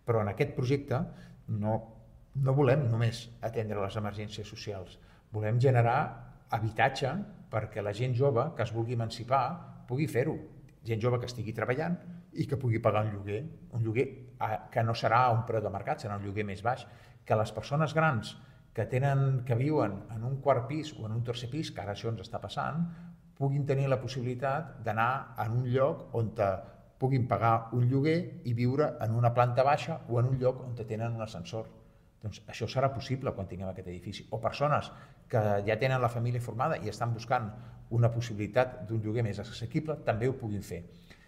Però en aquest projecte no volem només atendre les emergències socials, volem generar habitatge perquè la gent jove que es vulgui emancipar pugui fer-ho, gent jove que estigui treballant i que pugui pagar un lloguer que no serà un preu de mercat, serà un lloguer més baix, que les persones grans que viuen en un quart pis o en un tercer pis, que ara això ens està passant, puguin tenir la possibilitat d'anar en un lloc on puguin pagar un lloguer i viure en una planta baixa o en un lloc on tenen un ascensor. Doncs això serà possible quan tinguem aquest edifici. O persones que ja tenen la família formada i estan buscant una possibilitat d'un lloguer més assequible també ho puguin fer.